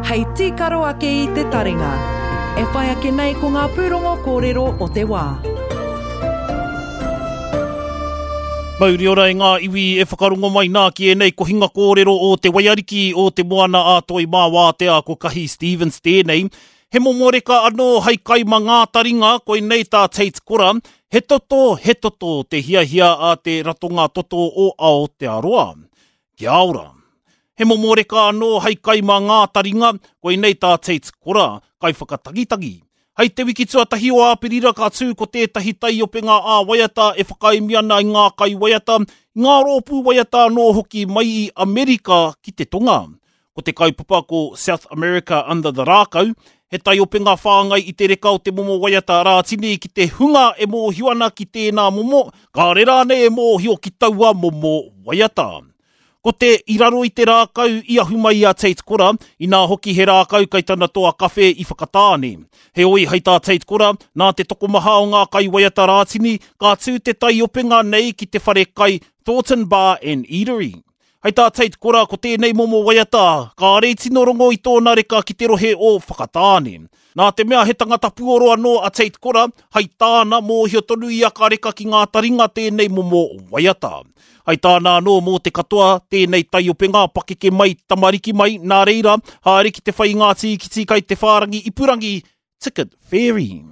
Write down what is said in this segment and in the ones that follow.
Hei tīkaro ake i te taringa. E whai ake nei ko ngā pūrongo kōrero o te wā. Mauri ora e ngā iwi e whakarongo mai nā ki ēnei kohinga kōrero o Te Waiariki o Te Moana a Toi mā Wātea ko Kahi Stevens tēnei. He momo reka anō hei kai ma ngā taringa, koinei tā Tate Kora, he toto, he toto te hiahia a te Ratonga Toto o Aotearoa. Kia ora. He momo reka anō hei kai mā ngā taringa, koinei tā Tate Kora, kaiwhakatagitagi. Hei te wiki tuatahi o Āperira ka tū ko tētahi taiopenga ā-waiata e whakaemi ana i ngā kaiwaiata, i ngā rōpū waiata anō hoki mai i Amerika ki te Tonga. Ko te kaupapa ko South America Under the Rākau, he taiopenga whāngai i te reka o te momo waiata Rātini ki te hunga e mōhio ana ki tēnā momo, kāre rānei e mōhio ki taua momo waiata. Ko te I raro i te rākau i ahu mai i a Tate Kora, inā hoki he rākau kai tana toa kawhe i Whakatāne. Heoi, hei tā Tate Kora, nā te tokomaha o ngā kaiwaiata Rātini, ka tū te taiopenga nei ki te whare kai Thornton Bar and Eatery. Hei tā Tate Kora, ko tēnei momo waiata, kāre i tino rongo i tōna reka ki te rohe o Whakatāne. Nā te mea he tangata puoro anō a Tate Kora, hei tāna, mōhio tonu ia ka reka ki ngā taringa tēnei momo waiata. Hei tāna anō mō te katoa, tēnei taiopenga, pakeke mai, tamariki mai, nā reira, haere ki te whai i ngā tīkiti kai te whārangi ipurangi Ticket Fairy.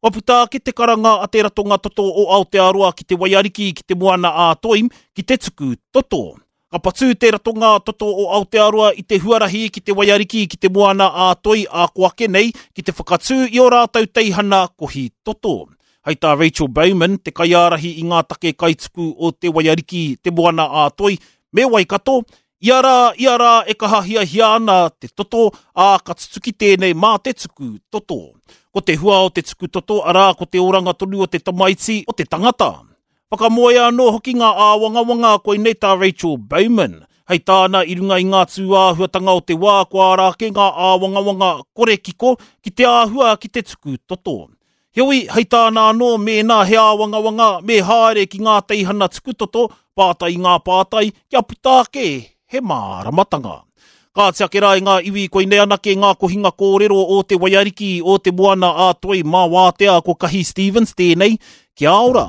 Kua puta ake te karanga a te Ratonga Toto o Aotearoa ki te Waiariki ki te Moana-a-Toi ki te tuku toto. Ka patū te Ratonga Toto o Aotearoa i te huarahi ki te Waiariki ki te Moana-a-Toi ā ko ake nei ki te whakatū i ō rātou teihana kohi toto. Hei tā Rachel Bowman, te kaiārahi i ngā take kaituku o te Waiariki, te Moana-a-Toi me Waikato, Ia rā, ia rā e kaha hiahia ana te toto, ā, ka tutuki tēnei mā te tuku toto. Ko te hua o te tuku toto, arā, ko te oranga tonu o te tamaiti, o te tangata. Whakamoea anō hoki ngā āwangawanga, koinei tā Rachel Bowman. Hei tāna, i runga i ngā tūāhuatanga o te wā, kua ara ake ngā āwangawanga kore kiko ki te āhua ki te tuku toto. Heoi, hei tāna anō, mēnā he āwangawanga, me haere ki ngā teihana tukutoto, pātai i ngā pātai, kia puta ake he māramatanga. Kāti ake rā i ngā iwi koinei anake ngā kohinga kōrero o te waiariki o te moana ā Toi mā Wātea ko Kahi Stevens tēnei, kia ora!